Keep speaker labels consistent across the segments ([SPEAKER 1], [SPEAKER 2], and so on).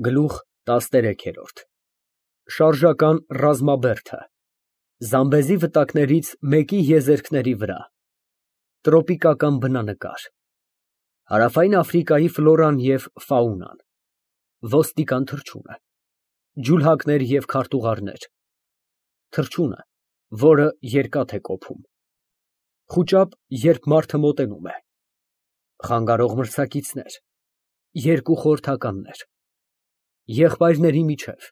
[SPEAKER 1] Գլուխ 13 Շարժական ռազմաբերդը Զամբեզի վտակներից մեկի եզերքների վրա Տրոպիկական բնանկար Հարավային Աֆրիկայի ֆլորան և ֆաունան Ոստիկան թռչունը Ջուլհակներ և քարտուղարներ Թռչունը, որը երկաթ է կոփում Խուճապ, երբ մարդը մոտենում է Խանգարող մրցակիցներ Երկու խորհրդականներ Եղբայրների միջև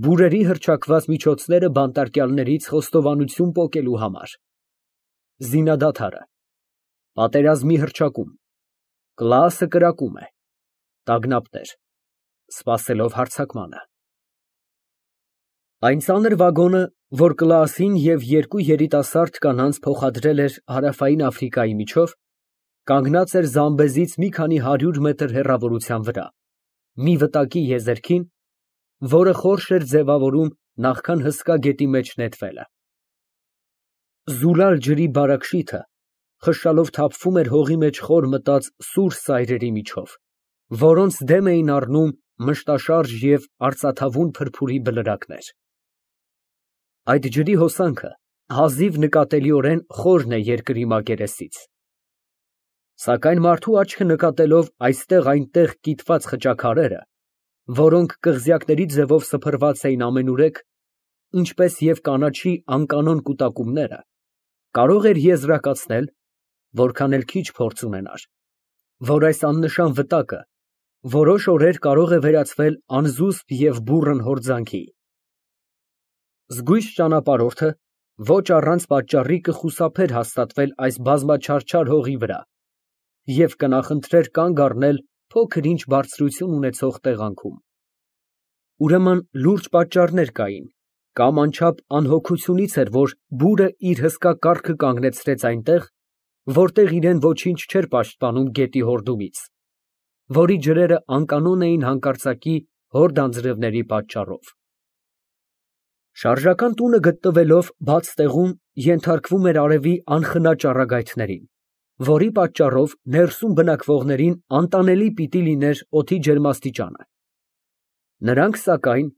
[SPEAKER 1] Բուրերի հռչակված միջոցները բանտարկյալներից խոստովանություն պոկելու համար Զինադադարը Պատերազմի հռչակում Կլասը կրակում է Տագնապներ Սպասելով հարձակմանը Այն ծանր վագոնը, որ Կլասին և երկու երիտասարդ կանանց փոխադրել էր Հարավային Աֆրիկայի միջով, կանգնած էր Զամբեզից մի քանի հարյուր մետր հեռավորության վրա, մի վտակի եզերքին, որը խորշ էր ձևավորում նախքան հսկա գետի մեջ նետվելը։ Զուլալ ջրի բարակ շիթը խշշալով թափվում էր հողի մեջ խոր մտած սուր սայրերի միջով, որոնց դեմ էին առնում մշտաշարժ և արծաթավուն փրփուրի բլրակներ։ Այդ ջրի հոսանքը հազիվ նկատելիորեն խորն է երկրի մակերեսից։ Սակայն մարդու աչքը նկատելով այստեղ-այնտեղ կիտված խճաքարերը, որոնք կղզյակների ձևով սփռված էին ամենուրեք, ինչպես և կանաչի անկանոն կուտակումները, կարող էր եզրակացնել, որքան էլ քիչ փորձ ունենար, որ այս աննշան վտակը որոշ օրեր կարող է վերածվել անզուսպ և բուռն հորձանքի։ Զգույշ ճանապարհորդը ոչ առանց պատճառի կխուսափեր հաստատվել այս բազմաչարչար հողի վրա և կնախընտրեր կանգ առնել փոքր-ինչ բարձրություն ունեցող տեղանքում։ Ուրեմն լուրջ պատճառներ կային, կամ անչափ անհոգությունից էր, որ բուրը իր հսկա կառքը կանգնեցրեց այնտեղ, որտեղ իրեն ոչինչ չէր պաշտպանում գետի հորդումից, որի ջրերը անկանոն էին հանկարծակի հորդ անձրևների պատճառով։ Շարժական տունը գտնվելով բաց տեղում ենթարկվում էր արևի անխնա ճառագայթներին, որի պատճառով ներսում բնակվողներին անտանելի պիտի լիներ օդի ջերմաստիճանը։ Նրանք, սակայն,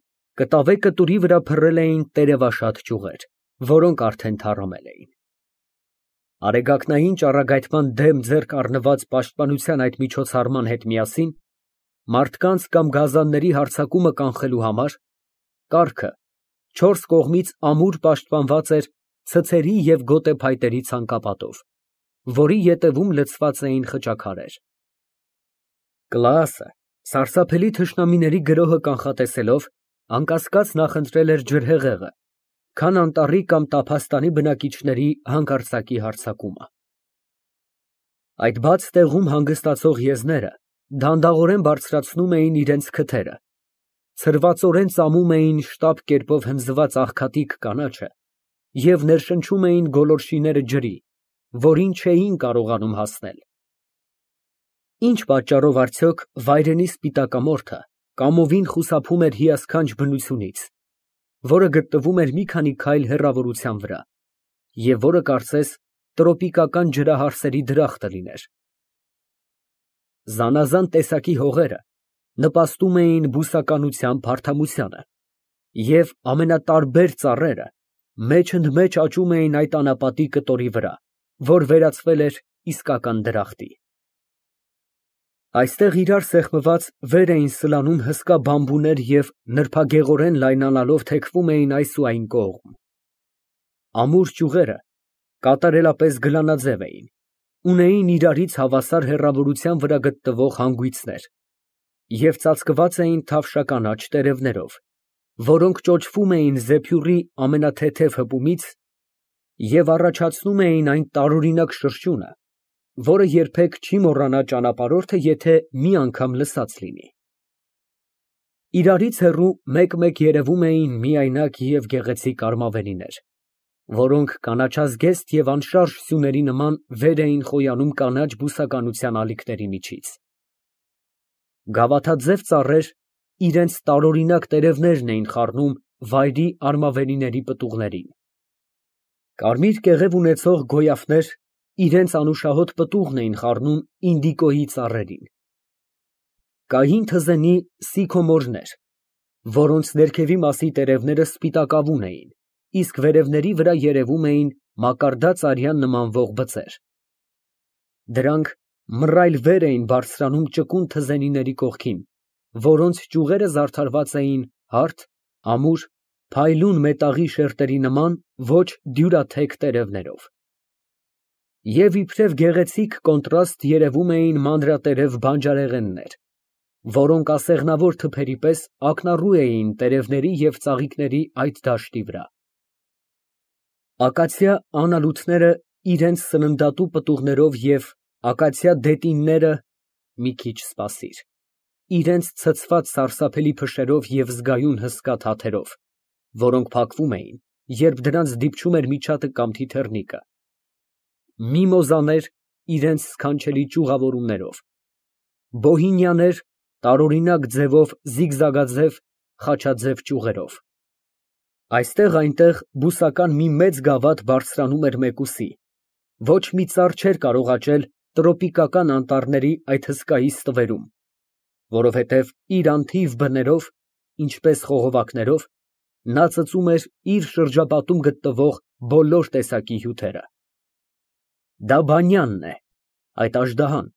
[SPEAKER 1] կտավե կտուրի վրա փռել էին տերևաշատ ճյուղեր, որոնք արդեն թառամել էին։ Արեգակնային ճառագայթման դեմ ձեռք առնված պաշտպանության այդ միջոցառման հետ միասին, մարդկանց կամ գազանների հարձակումը կանխելու համար, կառքը չորս կողմից ամուր պաշտպանված էր ցցերի և գոտեփայտերի ցանկապատով, որի ետևում լցված էին խճաքարեր։ Կլասը, սարսափելի թշնամիների գրոհը կանխատեսելով, անկասկած նախընտրել էր ջրհեղեղը, քան անտառի կամ տափաստանի բնակիչների հանկարծակի հարձակումը։ Այդ բաց տեղում հանգստացող եզները դանդաղորեն բարձրացնում էին իրենց քթերը, ցրվածորեն ծամում էին շտապ կերպով հնձված աղքատիկ կանաչը և ներշնչում էին գոլորշիները ջրի, որին չէին կարողանում հասնել։ Ինչ պատճառով արդյոք վայրենի սպիտակամորթը կամովին խուսափում էր հիասքանչ բնությունից, որը գտնվում էր մի քանի քայլ հեռավորության վրա, և որը կարծես տրոպիկական ջրահարսերի դրախտը լիներ։ Զանազան տեսակի հողերը նպաստում էին բուսականության փարթամությանը, և ամենատարբեր ծառերը մեջընդմեջ աճում էին այդ անապատի կտորի վրա, որ վերածվել էր իսկական դրախտի։ Այստեղ իրար սեղմված վեր էին սլանում հսկա բամբուներ և նրբագեղորեն լայնանալով թեքվում էին այս ու այն կողմ։ Ամուր ճյուղերը կատարելապես գլանաձև էին, ունեին իրարից հավասար հեռավորության վրա գտնվող հանգույցներ և ծածկված էին թավշականաչ տերևներով, որոնք ճոճվում էին զեփյուռի ամենաթեթև հպումից և առաջացնում էին այն տարօրինակ շրշյունը, որը երբեք չի մոռանա ճանապարհորդը, եթե մի անգամ լսած լինի։ Իրարից հեռու մեկ֊մեկ երևում էին միայնակ և գեղեցիկ արմավենիներ, որոնք կանաչազգեստ և անշարժ սյուների նման վեր էին խոյանում կանաչ բուսականության ալիքների միջից։ Գավաթաձև ծառեր իրենց տարօրինակ տերևներն էին խառնում վայրի արմավենիների պտուղներին։ Կարմիր կեղև ունեցող գոյավներ իրենց անուշահոտ պտուղն էին խառնում ինդիկոյի ծառերին։ Կային թզենի սիքոմորներ, որոնց ներքևի մասի տերևները սպիտակավուն էին, իսկ վերևների վրա երևում էին մակարդած արյան նմանվող բծեր։ Դրանք մռայլ վեր էին բարձրանում ճկուն թզենիների կողքին, որոնց ճյուղերը զարդարված էին հարթ, ամուր, փայլուն մետաղի շերտերի նման ոչ դյուրաթեք տերևներով։ Եվ իբրև գեղեցիկ կոնտրաստ երևում էին մանրատերև բանջարեղեններ, որոնք ասեղնավոր թփերի պես ակնառու էին տերևների և ծաղիկների այդ դաշտի վրա։ Ակացիա անալութները իրենց սննդատու պտուղներով և ակացիա դետինները (մի քիչ սպասիր) իրենց ցցված սարսափելի փշերով և զգայուն հսկա թաթերով, որոնք փակվում էին, երբ դրանց դիպչում էր միջատը կամ թիթեռնիկը, միմոզաներ իրենց սքանչելի ճյուղավորումներով, բոհինիաներ տարօրինակ ձևով զիգզագաձև, խաչաձև ճյուղերով։ Այստեղ֊այնտեղ բուսական մի մեծ գավաթ բարձրանում էր մեկուսի, ոչ մի ծառ չէր կարող աճել տրոպիկական անտառների այդ հսկայի ստվերում, որովհետև իր անթիվ բներով, ինչպես խողովակներով, նա ծծում էր իր շրջապատում գտնվող բոլոր տեսակի հյութերը։ Դա բանյանն է, այդ աժդահան,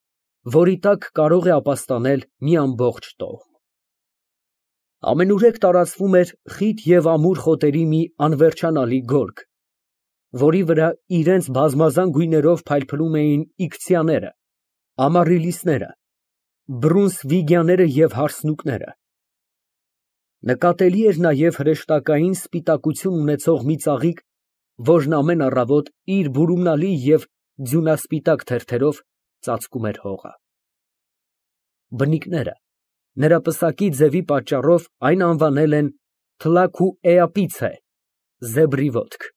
[SPEAKER 1] որի տակ կարող է ապաստանել մի ամբողջ տոհմ։ Ամենուրեք տարածվում էր խիտ և ամուր խոտերի մի անվերջանալի գորգ, որի վրա իրենց բազմազան գույներով փայլփլում էին իքցիաները, ամարիլիսները, բռունցվիգյաները և հարսնուկները։ Նկատելի էր նաև հրեշտակային սպիտակություն ունեցող մի ծաղիկ, որն ամեն առավոտ իր բուրումնալի և ձյունասպիտակ թերթերով ծածկում էր հողը։ Բնիկները նրա պսակի ձևի պատճառով այն անվանել են թլաքուէապիցե (զեբրի ոտք)։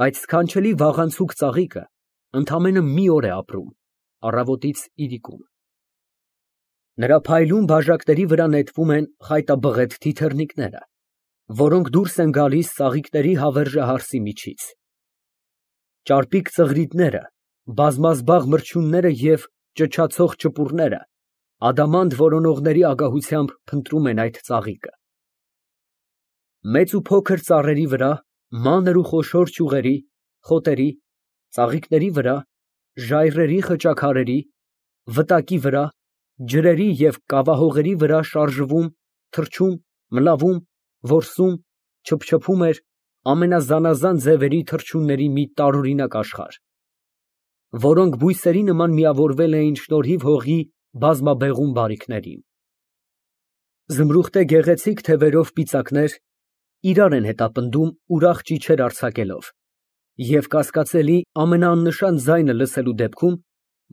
[SPEAKER 1] Այդ սքանչելի վաղանցուկ ծաղիկը ընդամենը մի օր է ապրում, առավոտից իրիկուն։ Նրա փայլուն բաժակների վրա նետվում են խայտաբղետ թիթեռնիկները, որոնք դուրս են գալիս ծաղիկների հավերժահարսի միջից։ Ճարպիկ ծղրիդները, բազմազբաղ մրջյունները և ճչացող ճպուռները ադամանդ որոնողների ագահությամբ փնտրում են այդ ծաղիկը։ Մեծ ու փոքր ծառերի վրա, մանր ու խոշոր ճյուղերի, խոտերի, ծաղիկների վրա, ժայռերի խճաքարերի, վտակի վրա, ջրերի և կավահողերի վրա շարժվում, թռչում, մլավում, որսում, չփչփում էր ամենազանազան ձևերի թռչունների մի տարօրինակ աշխարհ, որոնք բույսերի նման միավորվել էին շնորհիվ հողի բազմաբեղում բարիքներին։ Զմրուխտե գեղեցիկ թևերով պիծակներ իրար են հետապնդում ուրախ ճիչեր արձակելով և կասկածելի ամենաաննշան ձայնը լսելու դեպքում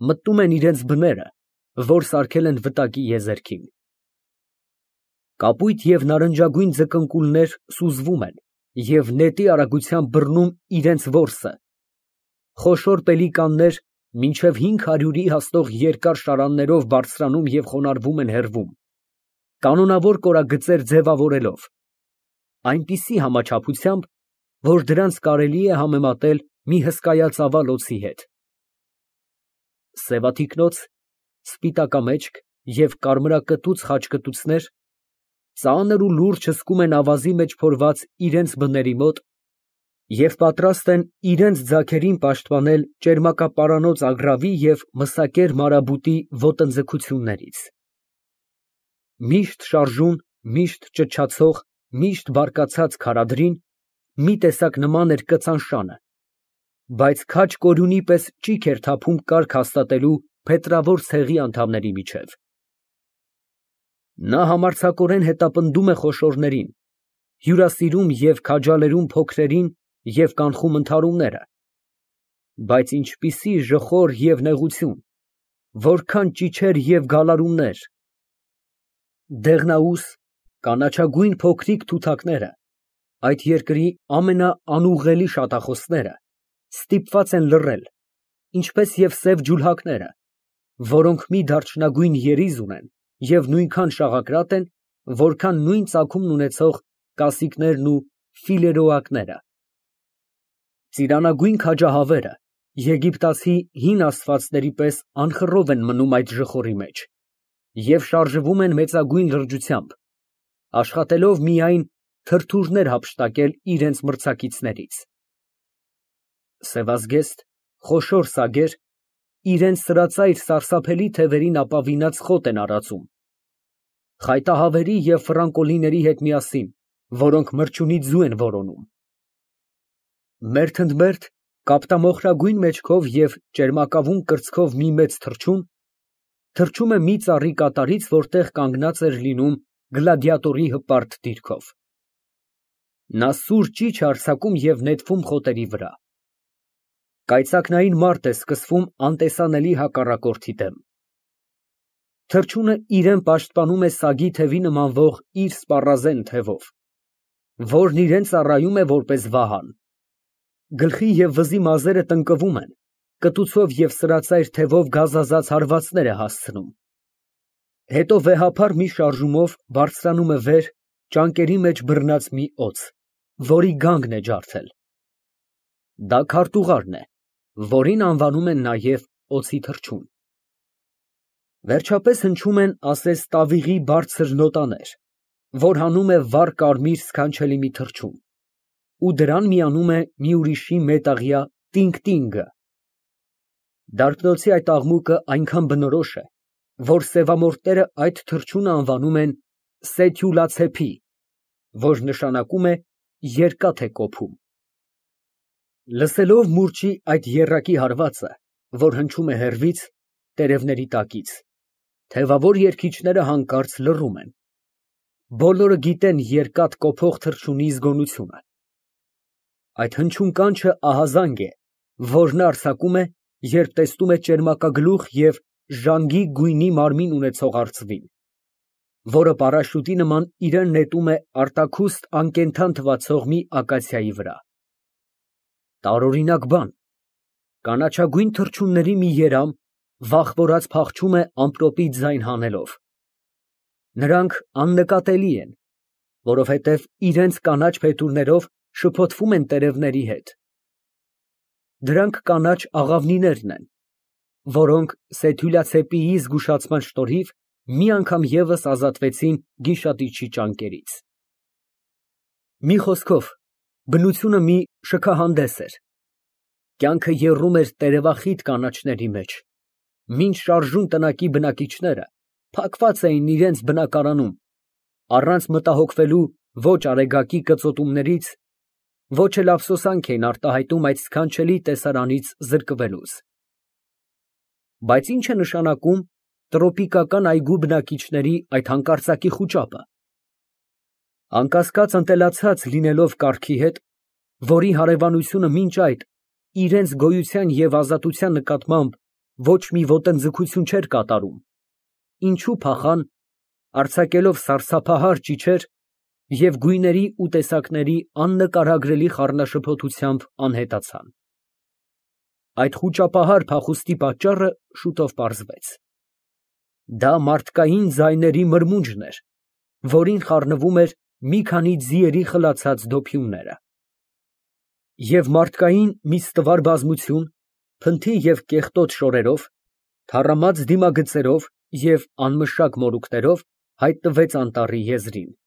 [SPEAKER 1] մտնում են իրենց բները, որ սարքել են վտակի եզերքին։ Կապույտ և նարնջագույն ձկնկուլներ սուզվում են և նետի արագությամբ բռնում իրենց որսը, խոշոր պելիկաններ մինչև 500-ի հասնող երկար շարաններով բարձրանում և խոնարհվում են հեռվում, կանոնավոր կորագծեր ձևավորելով, այնպիսի համաչափությամբ, որ դրանց կարելի է համեմատել մի հսկայածավալ օձի հետ։ Սևաթիկնոց, սպիտակամեջք և կարմրակտուց խաչկտուցներ ծանր ու լուրջ հսկում են ավազի մեջ փորված իրենց բների մոտ և պատրաստ են իրենց ձագերին պաշտպանել ճերմակապարանոց ագռավի և մսակեր մարաբուտի ոտնձգություններից։ Միշտ շարժուն, միշտ ճչացող, միշտ բարկացած քարադրին մի տեսակ նման էր կծան շանը, բայց քաջ կորյունի պես ճիգ էր թափում կարգ հաստատելու փետրավոր ցեղի անդամների միջև։ Նա համարձակորեն հետապնդում է խոշորներին, հյուրասիրում և քաջալերում փոքրերին և կանխում ընդհարումները, բայց ինչպիսի ժխոր և նեղություն, որքան ճիչեր և գալարումներ։ Դեղնաուս, կանաչագույն փոքրիկ թութակները, այդ երկրի ամենաանուղղելի շատախոսները, ստիպված են լռել, ինչպես և սև ջուլհակները, որոնք մի դարչնագույն երիզ ունեն և նույնքան շաղակրատ են, որքան նույն ծագումն ունեցող կասիկներն ու ֆիլերոակները։ Ծիրանագույն քաջահավերը եգիպտացի հին աստվածների պես անխռով են մնում այդ ժխորի մեջ, և շարժվում են մեծագույն լրջությամբ, աշխատելով միայն թրթուրներ հափշտակել իրենց մրցակիցներից. սևազգեստ, խոշոր սագեր իրենց սրածայր սարսափելի թևերին ապավինած խոտ են արածում, խայտահավերի և ֆրանկոլիների հետ միասին, որոնք մրջյունի ձու են որոնում։ Մերթ ընդ մերթ կապտամոխրագույն մեջքով և ճերմակավուն կրծքով մի մեծ թռչում է մի ծառի կատարից, որտեղ կանգնած էր լինում գլադիատորի հպարտ դիրքով։ Նա սուր ճիչ է արձակում և նետվում խոտերի վրա։ Կայծակնային մարտ է սկսվում անտեսանելի հակառակորդի դեմ։ Թռչունը իրան պաշտպանում է սագի թևի նմանվող իր սպառազեն թևով, որն իրան ծառայում է որպես վահան։ Գլխի և վզի մազերը տնկվում են, կտուցով և սրածայր թևով գազազած հարվածներ է հասցնում։ Հետո վեհափառ մի շարժումով բարձրանում է վեր ճանկերի մեջ բռնած մի օձ, որի գանգն է ջարդել։ Դա քարտուղարն է, որին անվանում են նաև օձի թռչուն։ Վերջապես հնչում են ասես տավիղի բարձր նոտաներ, որ հանում է վառ կարմիր սքանչելի մի թռչուն, ու դրան միանում է մի ուրիշի մետաղյա տինգ֊տինգը։ Դարբնոցի այդ աղմուկը այնքան բնորոշ է, որ սևամորթները այդ թռչունը անվանում են Սեթյուլացեփի, որ նշանակում է երկաթ է կոփում։ Լսելով մուրճի այդ եռակի հարվածը, որ հնչում է հեռվից, տերևների տակից, թևավոր երգիչները հանկարծ լռում են։ Բոլորը գիտեն երկաթ կոփող թռչունի զգոնությունը։ Այդ հնչուն կանչը ահազանգ է, որ նա արձակում է, երբ տեսնում է ճերմակագլուխ և ժանգի գույնի մարմին ունեցող արծվին, որը պարաշուտի նման իրան նետում է արտաքուստ անկենդան թվացող մի ակացիայի վրա։ Տարօրինակ բան, կանաչագույն թռչունների մի երամ վախվորած փախչում է ամպրոպի ձայն հանելով։ Նրանք աննկատելի են, որովհետև իրենց կանաչ փետուրներով շփոթվում են տերևների հետ։ Դրանք կանաչ աղավնիներն են, որոնք Սեթյուլացեպիի զգուշացման շնորհիվ մի անգամ ևս ազատվեցին գիշատիչի ճանկերից։ Մի խոսքով, բնությունը մի շքահանդես էր։ Կյանքը եռում էր տերևախիտ կանաչների մեջ, մինչ շարժուն տնակի բնակիչները փակված էին իրենց բնակարանում, առանց մտահոգվելու ոչ արեգակի կծոտումներից, ոչ էլ ափսոսանք էին արտահայտում այդ սքանչելի տեսարանից զրկվելուց։ Բայց ի՞նչ է նշանակում տրոպիկական այգու բնակիչների այդ հանկարծակի խուճապը։ Անկասկած ընտելացած լինելով կառքի հետ, որի հարևանությունը մինչ այդ իրենց գոյության և ազատության նկատմամբ ոչ մի ոտնձգություն չէր կատարում, ինչու փախան, արձակելով սարսափահար ճիչեր և գույների ու տեսակների աննկարագրելի խառնաշփոթությամբ անհետացան։ Այդ խուճապահար փախուստի պատճառը շուտով պարզվեց։ Դա մարդկային ձայների մրմունջն էր, որին խառնվում էր մի քանի ձիերի խլացած դոփյունները։ Եվ մարդկային մի ստվար բազմություն, փնթի և կեղտոտ շորերով, թառամած դիմագծերով և անմշակ մորուքներով հայտնվեց անտառի եզրին։